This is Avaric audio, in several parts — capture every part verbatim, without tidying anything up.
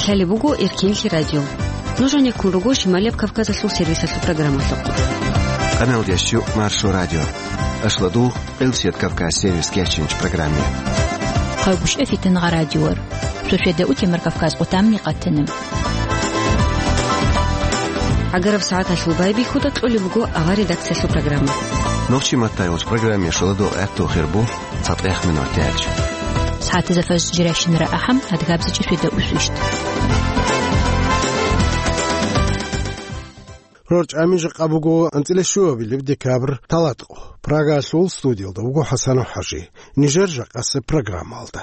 Лъалеб буго Эркинлъи радио. Нуж гьанеккун руго Шималияб Кавказалъул сервисалъул программалъухъ. Къаналдеш чу Маршо радио. Ашладу Къилсият Кавказ сервис кечинч программе. Хъагушев Фитнагъа радиор. Суседа утемар Кавказ къутамни къатанам. Агараб сагӀаталъул байбихьуда кьолеб буго ава редакциялъул программа. Нохчи маттайулч программе шоладо гӀехту хирбу. ЦатӀех минут тяч. СагӀатазда фажр жирашин рагӀахъам, адгабзичӀи светда усвищ. Рорчамин жакъа буго анцӀила щуабилеб декабрь талатӀо. Прагалъул студиялда вуго ХӀасанов ХӀажи. Нижер жакъасеб программалда.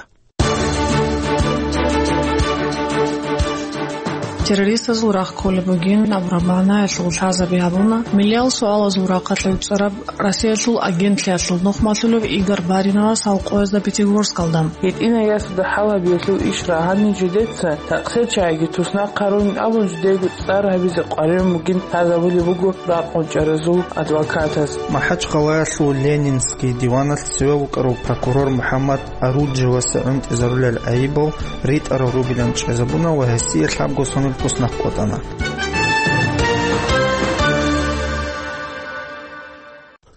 Террористазул рахъ кколеб бугин абураб магӀнаялъул лъазаби гьабуна, миллиял суалазул рахъалъе цӀараб Россиялъул агентлъиялъул нухмалъулев Игорь Бариновас гьал къоязда Пятигорскалда. ГьитӀинай ясуда хӀалабиялъул иш рагьанин жидеца такъсел чагӀиги туснахъарун абун жидего цӀар гьабизе къваригӀун бугин лъазабулеб буго ракъун чӀаразул адвокатас. МахӀачхъалаялъул Ленинский диваналъ цеве вукӀарав прокурор МухӀаммад Аруджевасе гӀунтӀизарулел гӀайибал ритӀарал ругилан чӀезабуна ва гьесие лъабго сонил туснахъ къотӀана.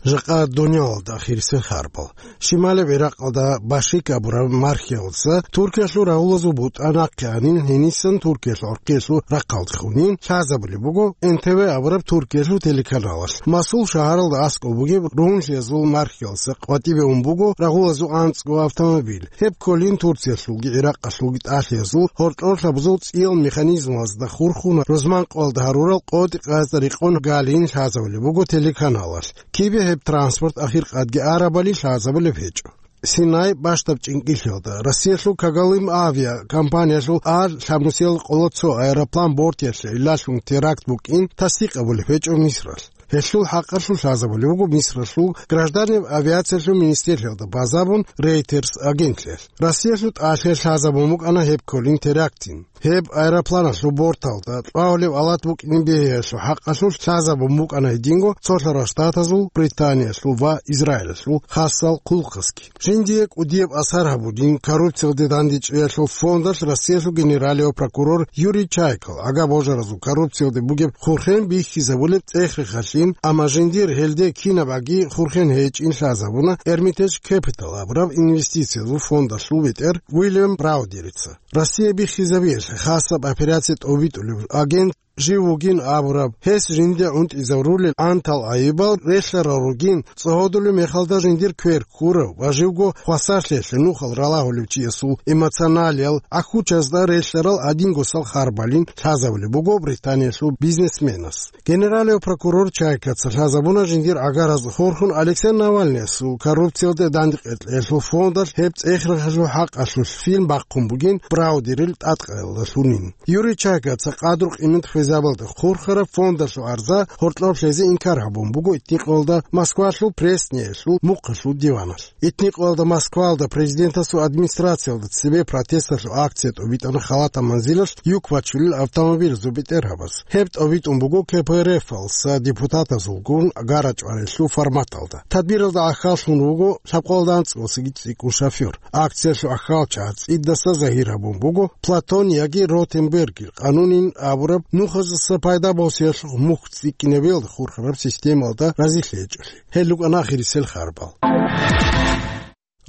Жакъа дунялалда ахирисел харбал. Шималеб Иракъалда Башик абураб мархиялдаса Туркиялъул рагьулазул бутӀа нахъе анин, гьенисан Туркиялъул гӀурхъиялъул рахъалде хунин лъазабулеб буго Н Т В абураб Туркиялъул телеканалалъ. Масул шагьаралда аскӀоб бугеб рунлъиязул мархиялдаса къватӀибе ун буго рагьулазул анцӀго автомобиль. Гьеб кколин Турциялъулги Иракъалъулги тӀалъиязул гьоркьор лъабазул цӀиял механизмазда хурхун рузман къоялда гьарурал къотӀи-къазда рекъон галин лъазабулеб буго телеканалалъ. Кибе гьеб транспорт ахиркъадги арабали лъазабулеб гьечӀо. Синай бащдаб чӀинкӀиллъиялда Россиялъул Кагалым авиакомпаниялъул А лъабнусиял къоло цо аэроплан бортиялъе гӀиллалъун теракт букӀин тасдикъ абулеб гьечӀо Мисралъ. Гьелъул хӀакъалъулъ лъазабулеб буго Мисралъул гражданиб авиациялъул министрлъиялда базабун Reuters агентлъиялъ. Россиялъул тӀалъиялъ лъазабун букӀана гьеб кколин терактин. Гьеб аэропланалъул борталда кьвагьулеб алат букӀин бегьиялъул хӀакъалъулъ лъазабун букӀана гьединго Цолъарал Штатазул, Британиялъул ва Израилалъул хасал хъулухъазги. Жиндие кӀудияб асар гьабулин коррупциялде дандечӀеялъул фондалъ Россиялъул генералияв прокурор Юрий Чайкал гӀага божаразул коррупциялде бугеб хурхен бихьизабулеб цӀех-рехалъин, амма жиндир гьелде кинаб аги хурхен гьечӀин лъазабуна Эрмитеж Кепитал абураб инвестициязул фондалъул бетӀер Уильям Браудерица. Россия биххизабиялъе хасаб операция тӀобитӀулев агент жив вугин абураб, гьес жинде гӀунтӀизарулел гӀантал гӀайибал релълъарал ругин, цӀогьодулев мехалда жиндир квер ккурав ва живго хвасарлъиялъе нухал ралагьулев чиясул эмоционалиял гӀахьучазда релълъарал гьадингосал харбалин лъазабулеб буго Британиялъул бизнесменас. Генералияв прокурор Чайкаца лъазабуна жиндир гӀагараз хурхун Алексей Навальныясул коррупциялде дандекъекълъиялъул фондалъ гьеб цӀех-рехалъул хӀакъалъулъ фильм бахъун бугин Браудерил тӀадкъаялдалъунин. Юрий Чайкаца къадру-къимат хвезабалда хурхараб фондалъул гӀарза гьоркьоб лъезе инкар гьабун буго итникъоялда Москвалъул Пресниялъул мухъалъул диваналъ. Итникъоялда Москвалда президентасул администрациялда цебе протесталъул акция тӀобитӀана халатаб манзилалъ юк бачулел автомобилазул бетӀергьабаз. Гьеб тӀобитӀун буго К П Р Ф-алса депутатазулгун гара-чӀварелъул форматалда. Тадбиралда гӀахьаллъун руго лъабкъоялда анцӀгосиги цӀикӀкӀун шофер. Акциялъул гӀахьалчагӀаз цӀидаса загьир гьабун буго Платон яги Ротенбергер къанунин абураб нухаздаса пайда босиялъухъ мухь цӀикӀкӀинабиялда хурхараб системалда разилъи гьечӀолъи. Гьел рукӀана ахирисел харбал.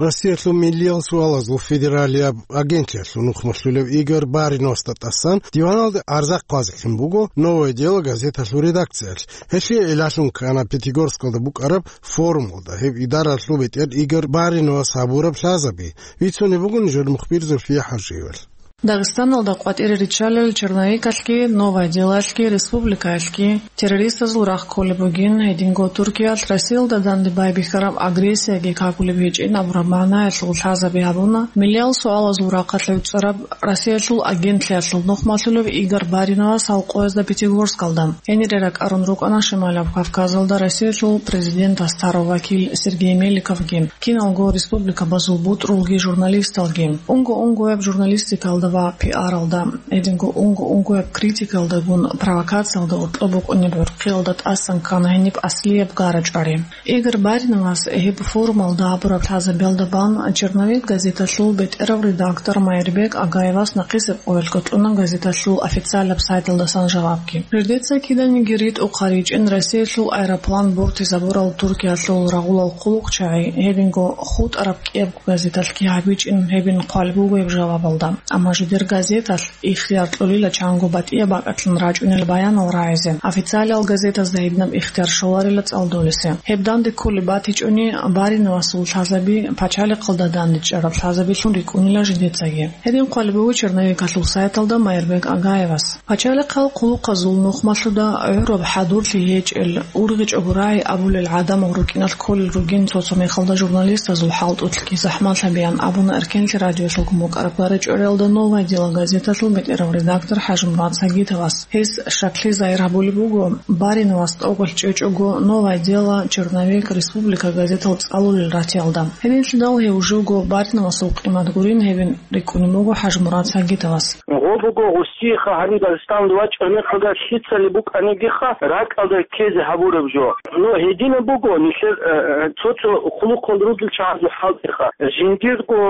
Россиялъул миллиял суалазул федералияб агентлъиялъул нухмалъулев Игорь Бариновасда тӀасан диваналде гӀарза хъвазехъин буго «Новое дело» газеталъул редакциялъ. Гьелъие гӀиллалъун ккана Пятигорскалда букӀараб форумалда гьеб идаралъул бетӀер Игорь Бариновас гьабураб лъазаби. Бицунеб буго нижер мухбир Зульфия ХӀажиевалъ. Дагъистаналда къватӀире риччалел черновикалъги, «Новое дело»ялъги, республикаялъги террористазул рахъ кколеб бугин, гьединго Туркиялъ Россиялда данде байбихьараб агрессияги какулеб гьечӀин абураб магӀнаялъул лъазаби гьабуна, миллиял суалазул рахъалъе цӀараб Россиялъул агентлъиялъул нухмалъулев Игорь Бариновас гьал къоязда Пятигорскалда. Гьенире ракӀарун рукӀана Шималаб Кавказалда Россиялъул президентасда тарав вакил Сергей Меликовги, киналго республикабазул бутӀрулги журналисталги. Унго-унгояб журналистикалда ва пиаралда, гьединго унго-унгояб критикалдагун провокациялда гьоркьоб букӀунеб гӀурхъиялда тӀасан ккана гьениб аслияб гара-чӀвари. Игорь Бариновас гьеб форумалда гьабураб лъазабиялда бан «Черновик» газеталъул бетӀерав редактор Майрбек Агаевас нахъисеб къоялъго кьуна газеталъул официалаб сайталдасан жавабги. Жидеца киданиги ритӀухъ гьаричӀин Россиялъул аэроплан бортизабурал Туркиялъул рагъулал хъулухъчагӀи, гьединго хутӀараб кӀиябго газеталъги гьабичӀин гьебин хъван буго гьеб жавабалда. Амма жидер газеталъ ихтияр кьолила чанго батӀияб бакӀалъун рачӀунел баянал рагӀизе, официалиял газетазда гьединаб ихтияр щоларила цӀалдолесе. Гьеб данде кколеб батичӀони, Бариновасул лъазаби пачалихъалда дандечӀараб лъазабилъун рикӀкӀунила жидецаги. Гьедин хъван буго «Черновикалъул» сайталда Майрбек Агаевас. Пачалихъал хъулухъазул нухмалъуда гӀураб хӀадурлъи гьечӀел, ургъичӀого рагӀи абулел гӀадамал рукӀиналъ кколел ругин цо-цо мехалда журналистазул хӀалтӀулъги захӀмалъабиян абуна Эркенлъи радиоялъулгун букӀараб гара-чӀвариялда «Новое дело» газеталъул бетӀерав редактор ХӀажимурад Сагитовас. Гьес щаклъи загьир гьабулеб буго, Бариновас тӀокӀалъ чӀечӀого «Новое дело», «Черновик», «Республика» газетал цӀалулел ратиялда. Гьединлъидал гьев живго Бариновасул къимат гурин гьебин рикӀкӀунеб буго ХӀажимурад Сагитовас. Гъо буго гъусиха гьаниб Дагъистаналде вачӀунеб мехалда лъицали букӀанигиха ракӀалда ккезе гьабураб жо. Ну, гьединаб буго нилъер, э, э, цо-цо хъулухъал ругел чагӀазул хӀалтӀиха. Жиндирго,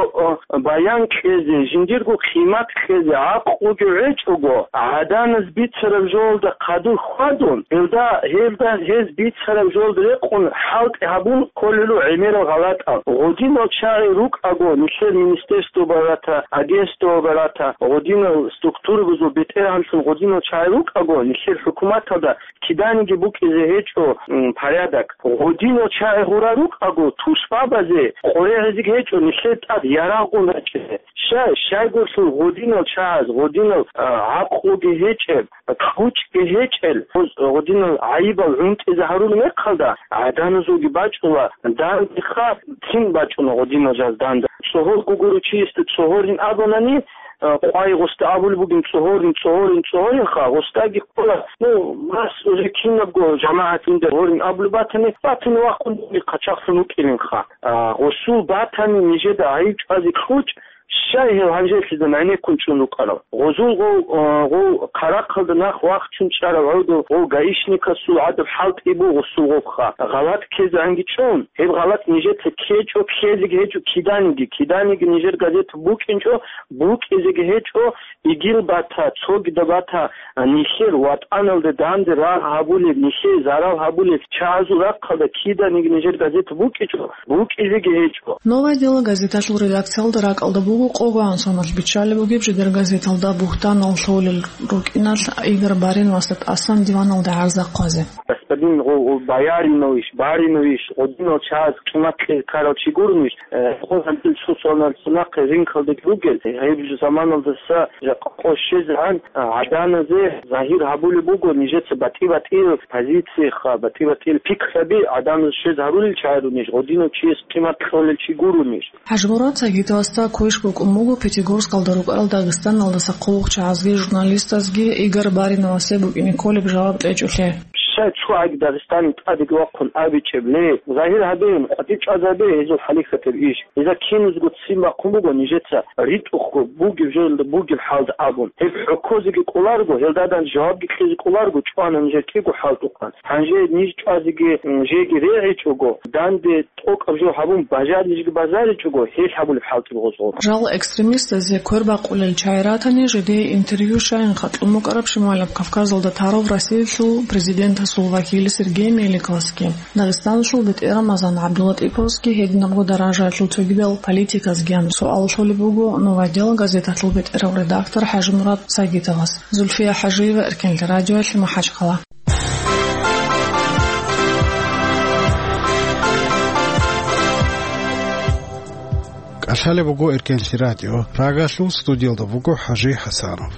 э, баян кьезе, жиндирго къимат кьезе гӀакълуги гьечӀого, гӀаданаз бицараб жоялда хъадур хьвадун, гьелда, гьелда гьез бицараб жоялда рекъун хӀалтӀи гьабун кколелъул гӀемерал гъалатӀал. Гъодинал чагӀи рукӀаго, нилъер министерство барата, агентство барата, гъодинал структурабазул бетӀергьанлъун гъодинал чагӀи рукӀаго, нилъер хӀукуматалда киданиги букӀизе гьечӀо, м, порядок. Гъодинал чагӀи гъура рукӀаго, тушбабазе къорегӀизеги гьечӀо нилъер тӀад ярагъун рачӀине. Щай, щайгурлъул гъодинал чагӀаз, гъодинал, а, гӀакълуги гьечӀеб, кьучӀги гьечӀел, гъоз-, гъодинал гӀайибал гӀунтӀизе гьарулеб мехалда, гӀаданазулги бачӀула, дандеха цин бачӀуна гъодинал жаз данда. ЦӀогьорго гуру чиясда цӀогьорин абунани, а, къвай гъосда абулеб бугин: «ЦӀогьорин, цӀогьорин, цӀогьоринха», гъосдаги ккола, ну, мас уже кинабго жамагӀат жинда гьорин абулеб батани, батани вахъун дуги хъачахлъун вукӀилинха. А, гъосул батани нижеда гӀайиб чӀвазе кьучӀ, щай гьев гьанжелъида гӀенеккун чӀун рукӀарав? Гъозул гъов, а, гъов хъарахъалда нах вахчун чӀарав гӀодов гъов гаишникасул гӀадаб хӀалтӀи буго гъосул гъовха. ГъалатӀ ккезегӀанги чӀун, гьеб гъалатӀ нижеца ккечӀо, ккезеги гьечӀо киданиги, киданиги нижер газет букӀинчӀо, букӀизеги гьечӀо, игил бата, цогида бата, а, нилъер ватӀаналде данде рагъ гьабулеб, нилъее зарал гьабулеб чагӀазул рахъалда киданиги нижер газет букӀичӀо, букӀизеги гьечӀо. «Новое дело» газеталъул редакциялда ракӀалда буго къого гӀан соналъ биччалеб бугеб жидер газеталда бугьтанал лъолел рукӀиналъ Игорь Бариновасда тӀасан диваналде гӀарза хъвазе. Господин гъо-, гъо-, Бояринович, Баринович, гъодинал чагӀаз къимат кьезе ккарал чи гурунищ? Э, гъо гьанжел цо соналъ цо нахъе ринкалдаги ругел, гьеб жо заманалдаса жакъа къо щезегӀан, а, гӀаданазе загьир гьабулеб буго, нижеца батӀи-батӀиял позицияха, батӀи-батӀиял пикраби гӀаданазе щвез гьарулел чагӀи гурунищ, гъодинав чияс къимат кьолел чи гурунищ? ХӀажимурад Сагитовасда квеш букӀун буго Пятигорскалда рукӀарал Дагъистаналдаса хъулухъчагӀазги журналистазги Игорь Бариновасе букӀине кколеб жаваб кьечӀолъи. Щай цо гӀаги Дагъистани тӀадеги вахъун абичӀеб, ле, загьир гьабеян, къватӀир чӀвазе гьабе гьезул хӀалихьатаб иш. Гьезда киназго ццин бахъун буго нижеца ритӀухъго бугеб жоялда бугеб хӀалда абун. Гьеб хӀокозеги кӀоларго, гьелдадан жавабги кьезе кӀоларго, чӀвана нижер кӀиго хӀалтӀухъан. Гьанже ниж чӀвазеги, м, жеги регӀичӀого, данде тӀокӀаб жо гьабун бажарилищги бажаричӀого, гьелъ гьабулеб хӀалтӀи буго гъозул. Жал экстремистазе квер бакъулел чагӀи ратани, жидее интервью щайин хъатӀун букӀараб Шималаб Кавказалда тарав Россиялъул президентасул вакил Сергей Меликовасги, Дагъистаналъул бетӀер Рамазан ГӀабдуллатӀиповасги, гьединабго даражаялъул цогидал политиказгиян суал лъолеб буго «Новое дело» газеталъул бетӀерав редактор ХӀажимурад Сагитовас. Зульфия ХӀажиева, Эркенлъи радиоялъе, МахӀачхъала. КӀалъалеб буго Эркенлъи радио. Прагалъул студиялда буго ХӀажи ХӀасанов.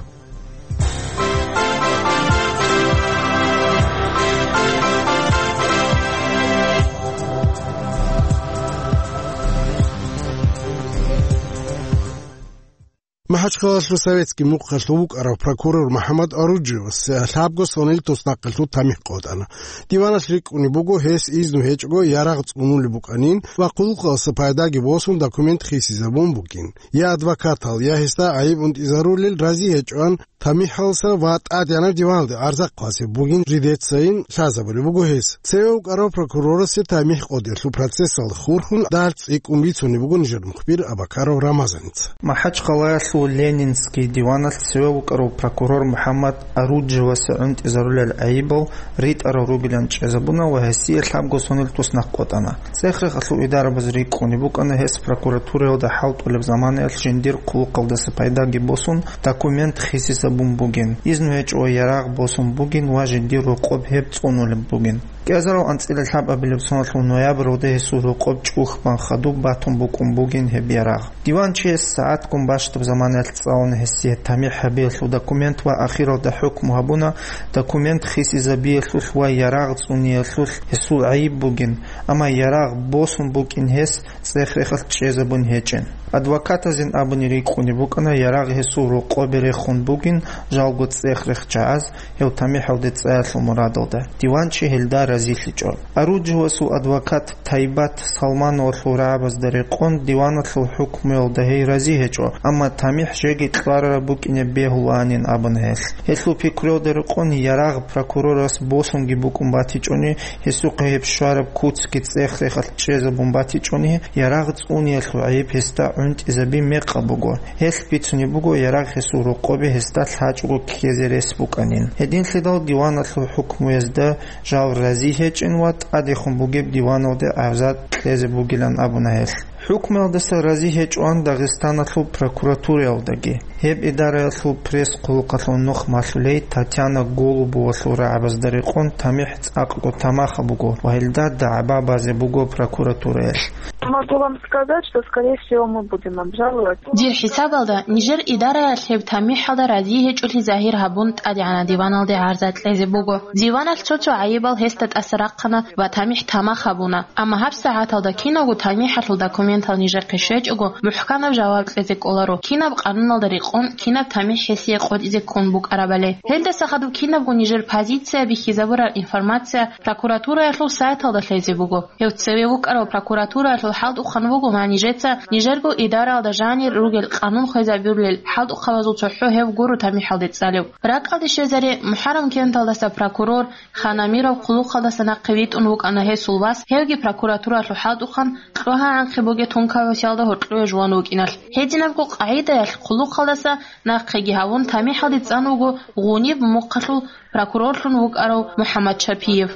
МахӀачхъалалъул Советский мухъалъув вукӀарав прокурор МухӀаммад Аруджевас лъабго сонил туснахъалъув тамихӀ къотӀана. Диваналъ рикӀкӀунеб буго, гьес изну гьечӀого ярагъ цӀунулеб букӀанин ва хъулухъалдаса пайдаги босун документ хисизабун бугин. Я адвокатал, я гьесда гӀайиб унтӀизарулел рази гьечӀоан тамихӀалдаса ва ТӀадегӀанаб диваналде гӀарза хъвасеб бугин жидецайин лъазабулеб буго гьес. Цеве вукӀарав прокурорасе тамихӀ къотӀиялъул процессалда хурхун дагьал цӀикӀкӀун бицунеб буго нижер мухбир Абакаров Рамазаница. МахӀачхъалаялъул Ленинский диваналъ цеве вукӀарав прокурор МухӀаммад Аруджевасе гӀунтӀизарулел гӀайибал ритӀарал ругилан чӀезабуна ва гьесие лъабго сонил туснахъ къотӀана. ЦӀех-рехалъул идарабаз рикӀкӀунеб букӀана гьес прокуратураялда хӀалтӀулеб заманаялъ жиндир хъулухъалдаса пайдаги босун, документ хисизабун бугин, изну гьечӀого ярагъ босун бугин ва жиндир рокъоб гьеб цӀунулеб бугин. КӀиазарал анцӀила лъабабилеб соналъул ноябралда гьесул рокъоб чӀухь бан хадуб батун букӀун бугин гьеб ярагъ. Диванчияс сагӀатгун бащдаб заманаялъ цӀалуна гьесие тамихӀ гьабиялъул документ ва ахиралда хӀукму гьабуна документ хисизабиялъулъ ва ярагъ цӀуниялъулъ гьесул гӀайиб бугин, амма ярагъ босун букӀин гьес цӀех-рехалъ чӀезабун гьечӀин. Адвокатазин абуни рикӀкӀунеб букӀана ярагъ гьесул рокъобе рехун бугин жалго цӀех-рех чагӀаз, гьев тамихӀалде цӀаялъул мурадалда, диванчи гьелда разилъичӀо. Аруджевасул адвокат Тайбат Салмановалъул рагӀабазда рекъон диваналъул хӀукмуялда гьей рази гьечӀо, амма тамихӀ жеги кьварараб букӀине бегьулаанин абуна гьелъ. Гьелъул пикруялда рекъон ярагъ прокурорас босунги букӀун батичӀони, гьесухъе гьеб щвараб куцги цӀех-рехалъ чӀезабун батичӀони, ярагъ цӀуниялъул гӀайиб гьесда гӀунтӀизаби мекъаб буго. Гьелъ бицунеб буго ярагъ гьесул рокъобе гьесда лъачӀого ккезе рес букӀанин. Гьединлъидал диваналъул хӀукмуязда жал рази гьечӀин ва тӀадехун бугеб диваналде гӀарза кьезе бугилан абуна гьелъ. ХӀукмуялдаса рази гьечӀоан Дагъистаналъул прокуратураялдаги. Гьеб идараялъул пресс-хъулухъалъул нух малъулей Татьяна Голубовалъул рагӀабазда рекъон тамихӀ цӀакъго тамахаб буго ва гьелда дагӀба базе буго прокуратураялъ. Могу вам сказать, что, скорее всего, мы будем обжаловать. Дир хӀисабалда, нижер идараялъ гьеб тамихӀалда рази гьечӀолъи загьир гьабун, ТӀадегӀанаб диваналде гӀарза кьезе буго. Диваналъ цо-цо гӀайибал гьесда тӀаса рахъана ва тамихӀ тамах гьабуна. Амма гьабсагӀаталда киналго тамихӀалъул документал нижехъе щвечӀого, мухӀканаб жаваб кьезе кӀоларо, кинаб къануналда рекъон, кинаб тамихӀ гьесие къотӀизе ккун букӀарабали. Гьелдаса хадуб кинабго нижер позиция бихьизабураб информация прокуратураялъул сайталда лъезе буго. Гьев цеве вукӀарав прокуратураялъул хӀалтӀухъан вуго ва нижеца нижерго идараялда жанир ругел къанун хвезабулел хӀалтӀухъабазул цохӀо гьев гуро тамихӀалде цӀалев. РакӀалде щвезаре, МухӀаррам кенталдаса прокурор Хан Амиров хъулухъалдаса нахъе витӀун вукӀана гьесул вас, гьевги прокуратураялъул хӀалтӀухъан кьогьа-гӀанхъи бугеб тункабасиялда гьоркьове жуван вукӀиналъ. Гьединабго къагӀидаялъ хъулухъалдаса нахъеги гьавун тамихӀалде цӀан вуго Гъуниб мухъалъул прокурорлъун вукӀарав МухӀаммад Шапиев.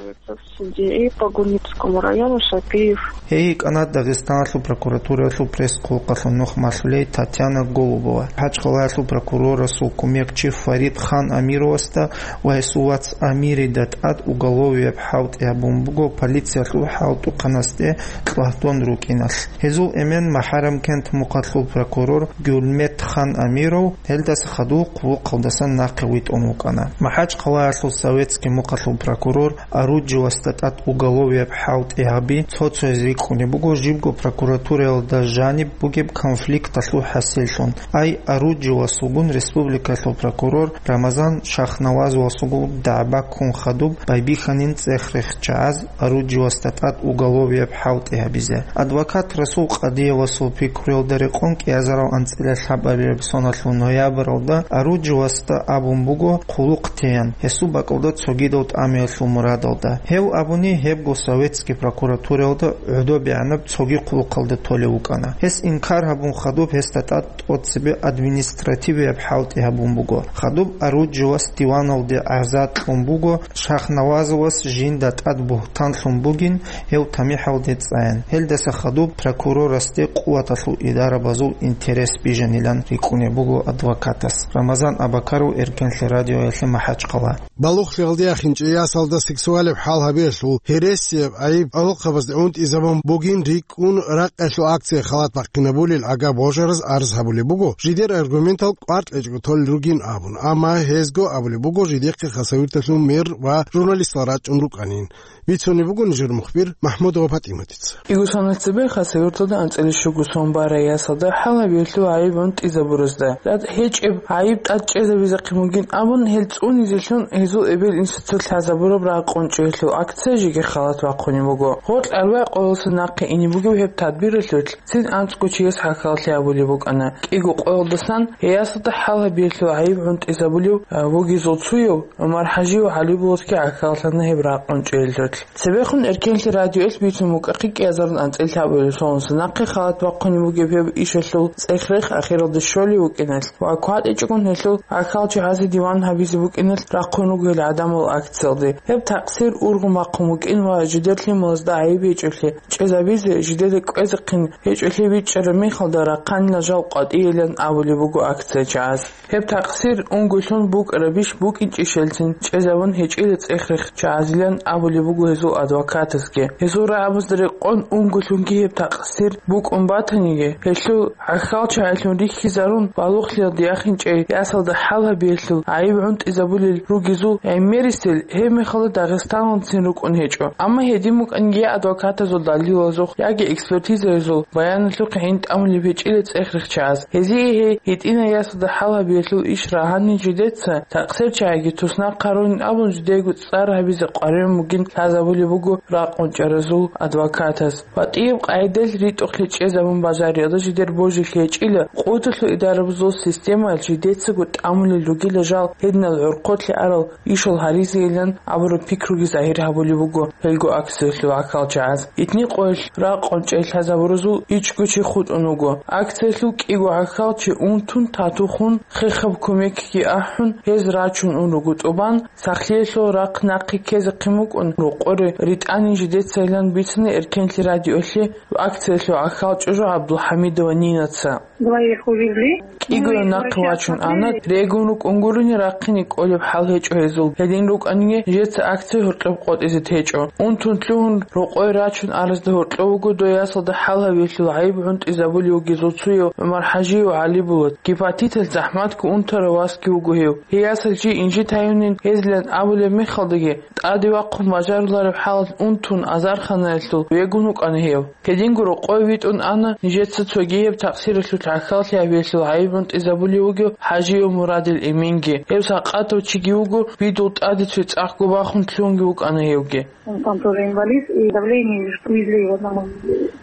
Судьи по Гунибскому району Шапиев. Гьей йикӀана Дагъистаналъул прокуратураялъул пресс-хъулухъалъул нух малъулей Татьяна Голубова. МахӀачхъалаялъул прокурорасул кумекчи Фарид Хан Амировасда ва гьесул вац Амирида тӀад уголовияб хӀалтӀи гьабун буго полициялъул хӀалтӀухъанасде кьагьдон рукӀиналъ. Гьезул эмен МухӀаррам кент мухъалъул прокурор Гюльмет Хан Амиров гьелдаса хадув хъулухъалдасан нахъе витӀун вукӀана. МахӀачхъалаялъул Советский мухъалъул прокурор Аруджевасда тӀад уголовияб хӀалтӀи гьаби цо-цояз рикӀкӀунеб буго жибго прокуратураялда жаниб бугеб конфликталъул хӀасиллъун. Ай Аруджевасулгун республикалъул прокурор Рамазан Шахнавазовасулгун дагӀба ккун хадуб байбихьанин цӀех-рех чагӀаз Аруджевасда тӀад уголовияб хӀалтӀи гьабизе. Адвокат Расул Къадиевасул пикруялда рекъон кӀиазарал анцӀила лъабабилеб соналъул ноябралда Аруджевасда абун буго хъулухъ теян, гьесул бакӀалда цогидал тӀамиялъул мурадалда. Гьев абуни, гьебго советский прокуратураялда гӀодобегӀанаб цоги хъулухъалда толев вукӀана. Гьес инкар гьабун хадуб гьесда тӀад тӀоцебе административияб хӀалтӀи гьабун буго. Хадуб Аруджевас диваналде гӀарза кьун буго, Шахнавазовас жинда тӀад бугьтан лъун бугин, гьев тамихӀалде цӀаян. Гьелдаса хадуб прокурорасде къуваталъул идарабазул интерес бижанилан рикӀкӀунеб буго адвокатас. Рамазан Абакаров, Эркенлъи радиоялъе, МахӀачхъала. Балугълъиялде яхинчӀей ясалда сексуалаб хӀал гьабиялъул гьересияб гӀайиб гӀолохъабазде унтӀизабун бугин рикӀкӀун ракъалъул акция халат бахъинабулел гӀага божараз арз гьабулеб буго, жидер аргументал кӀвар кьечӀого толел ругин абун, амма гьезго абулеб буго жидехъе Хасавюрталъул мэр ва журналистал рачӀун рукӀанин. Бицунеб буго нижер мухбир МахӀмудова ПатӀиматица. Игусанас цебе Хасавюрталда анцӀила щуго сон барай ясалда хӀал гьабиялъул гӀайиб унтӀизабуразда, тӀад гьечӀеб гӀайиб тӀад чӀезабизахъин бугин абун, гьел цӀунизелъун гьезул эбел-инсуца лъазабураб ракъун чӀеялъул акция жеги халат бахъунеб буго. Гъоркь арбагӀ къоялъа нахъе ине бугеб гьеб тадбиралъулъ цин анцӀго чияс хӀахьаллъи гьабулеб букӀана. КӀиго къоялдасан гьей ясалда хӀал гьабиялъул гӀайиб гӀунтӀизабулев, а, вугезул цояв ГӀумар-ХӀажияв ГӀалибулатги гӀахьаллъана гьеб ракъун чӀеялъулъ. Цебехун Эркенлъи радиоялъ бицун букӀахъе кӀиазарун анцӀила лъабабилеб соналъ нахъе халат бахъунеб бугеб гьеб ишалъул цӀех-рех ахиралде щолев вукӀиналъ ва кватӀичӀогун гьелъул гӀахьалчагӀазе диван гьабизе букӀиналъ рахъун руго гьел гӀадамал акциялде. Гьеб такъсир ургъун бахъун букӀин ва жидер лъималазда гӀайиб гьечӀолъи чӀезабизе жидеда кӀвезехъин гьечӀолъи бичӀчӀараб мехалда рахъанила жал къватӀийилан абулеб буго акциячагӀаз. Гьеб такъсир унгоялъун букӀарабищ букӀинчӀищ гьелцин чӀезабун гьечӀила цӀех-рех чагӀазилан абулеб буго гьезул адвокатазги. Гьезул рагӀабазда рекъон унгоялъунги гьеб такъсир букӀун батаниги, гьелъул гӀахьалчагӀилъун рихьизарун балугълъиялде яхинчӀей ясалда хӀал гьабиялъул гӀайиб гӀунтӀизабулел ругезул гӀемерисел гьеб мехалда Дагъистаналдацин рукӀун гьечӀо. Амма гьедин букӀанги я адвокатазул далилазухъ, яги экспертизаязул баяналъухъ гӀин тӀамулеб гьечӀила цӀех-рех чагӀаз. Гьезие гьей гьитӀинай ясалда хӀал гьабиялъул иш рагьанин жидеца, такъсирчагӀиги туснахъ гьарунин абун жидейго цӀар гьабизе къваригӀун бугин лъазабулеб буго ракъун чӀаразул адвокатаз. БатӀияб къагӀидалъ ритӀухълъи чӀезабун бажариялда жидер божилъи гьечӀила, къотӀулъул идарабазул системаялъ жидецаго тӀамулел ругила жал гьединал гӀорхъолъи арал ишал гьаризейилан абураб пикруги загьир гьабулеб буго гьелго акциялъул гӀахьалчагӀаз. Итни къоялъ ракъун чӀей лъазабуразул ичӀго чи хутӀун вуго. Акциялъул кӀиго гӀахьалчи унтун, тату хун, хехаб кумекги ахӀун, гьез рачун ун руго тӀубан, сахлъиялъул рахъ нахъе ккезехъин букӀун, рокъоре ритӀани жидецайилан бицана Эркенлъи радиоялъе акциялъул гӀахьал чӀужу ГӀабдулхӀамидова Нинаца. Двоих увезли. КӀиго нахъе вачун ана, регун рукӀун гурони рахъине кӀолеб хӀал гьечӀо гьезул. Гьедин рукӀаниги, жеца акция гьоркьоб къотӀизе течӀо. Унтун лъугьун, рокъой рачун аразда гьоркьов вуго дой ясалда хӀал гьабиялъул гӀайиб гӀунтӀизабулев вугезул цояв ГӀумар-ХӀажияв ГӀалибулат. Гепатиталъ захӀматго унтарав васги вуго гьев. Гьей ясал чи инжит гьаюнин гьезилан абулеб мехалдаги, тӀаде вахъун бажарулареб хӀалалъ унтун азарханаялъул вегун вукӀана гьев. Гьединго рокъове витӀун ана нижеца цогияб такъсиралъул гӀахьаллъи гьабиялъул гӀайиб гӀунтӀизабулев вугев ХӀажияв Мурадил Эминги. Гьев сакъатав чиги вуго, видул тӀаде цоцӀахъго бахун лъугьунги вукӀана гьевги. Он там тоже инвалид, и давление, и везли его на мой.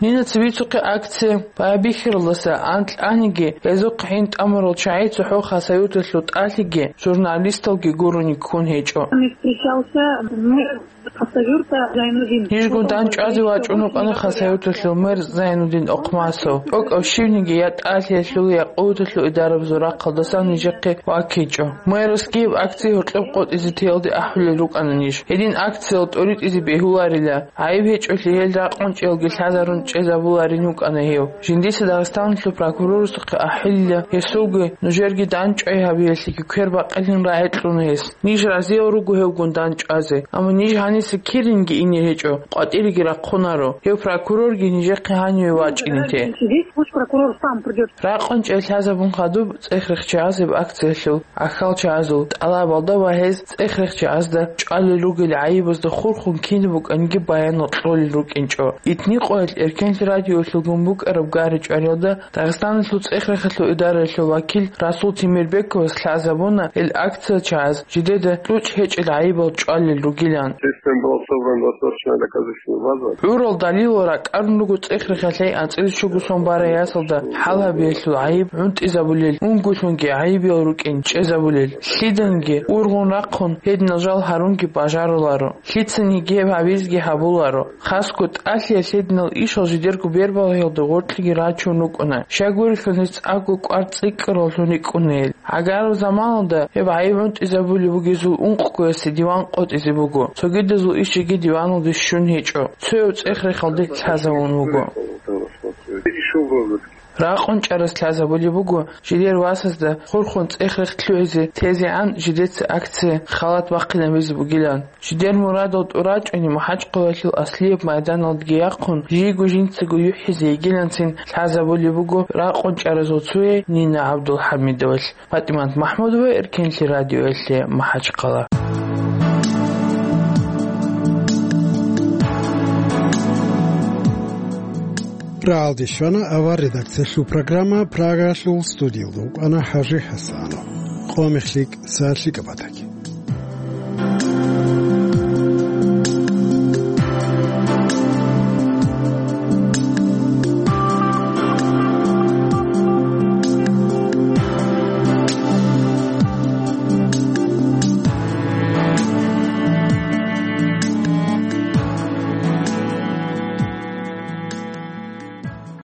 Нинаца бицухъе акция байбихьаралдаса анкьаниги, гьезухъ гӀин тӀамурал чагӀи цохӀо Хасавюрталъул тӀалъиги, журналисталги гурони ккун гьечӀо. Не встречался, ну, Хасавюрта Зайнудин. Нижгун дандчӀвазе вачӀун вукӀана Хасавюрталъул мэр Зайнудин Охмасов. ТӀокӀав щивниги я тӀалъиялъул, я къуваталъул идарабазул рахъалдасан нижехъе ваккичӀо. Мэрас гьеб акция гьоркьоб къотӀизе теялде ахӀулел рукӀана ниж. Гьедин акциял тӀоритӀизе бегьуларила, гӀайиб гьечӀолъи гьел ракъун чӀеялги лъазарун чӀезабуларин вукӀана гьев. Жиндица Дагъистаналъул прокурорасухъе ахӀилила гьесулги, нужерги дандчӀвай гьабиялъеги квер бакъилин рагӀи кьуна гьес. Ниж разиял руго гьевгун дандчӀвазе, амма ниж гьаниса киринги ине гьечӀо, къватӀиреги рахъунаро. Гьев прокурорги нижехъе гьаниве вачӀине те. Здесь пусть прокурор сам придёт. Ракъун чӀей лъазабун хадуб цӀех-рех чагӀазеб акциялъул гӀахьалчагӀазул тӀалабалда ва гьез цӀех-рех чагӀазда чӀвалел ругел гӀайибазда хурхун кинаб букӀанги баянал кьолел рукӀинчӀо. Итни къоялъ Эркенлъи радиоялъулгун букӀараб гъари-чӀвариялда Дагъистаналъул цӀех-рехалъул идараялъул вакил Расул Темирбековас лъазабуна гьел акциячагӀаз жидеда кьучӀ гьечӀел гӀайибал чӀвалел ругилан. Система была собрана достаточно доказательная база. ГӀурал далилал ракӀарун руго цӀех-рехалъей анцӀила щуго сон барай ясалда хӀал гьабиялъул гӀайиб гӀунтӀизабулел, унгоялъунги гӀайибиял рукӀин чӀезабулел, лъиданги ургъун рахъун гьединал жал гьарунги бажаруларо. Лъицаниги гьеб гьабизеги гьабуларо. Хасго тӀалъиялъ гьединал ишал жидерго бербалагьиялда гъоркьги рачун рукӀуна. Щайгурелъул гьез цӀакъго кӀвар цӀикӀкӀараллъун рикӀкӀуна гьел. ГӀагараб заманалда гьеб гӀайиб гӀунтӀизабулеб бугезул ункъгоясе диван къотӀизе буго. Цогидазул иш жеги диваналде щун гьечӀо. Цояв цӀех-рехалде лъазавун вуго. Ракъун чӀарас лъазабулеб буго, жидер васазда хурхун цӀех-рехс лъугӀизе тезегӀан жидеца акция халат бахъинабизе бугилан. Жидер мурадал тӀурачӀуни МахӀачхъалалъул аслияб майданалдеги яхъун, жийго жинцаго юхӀизе йигиланцин лъазабулеб буго ракъун чӀаразул цуе Нина ГӀабдулхӀамидовалъ. ПатӀимат МахӀмудова, Эркенлъи радиоялъе, МахӀачхъала. Рагьалде щвана авар редакциялъул программа. Прагалъул студиялда вукӀана ХӀажи ХӀасанов. Къо мехлъи, са лъикӀаб батаги.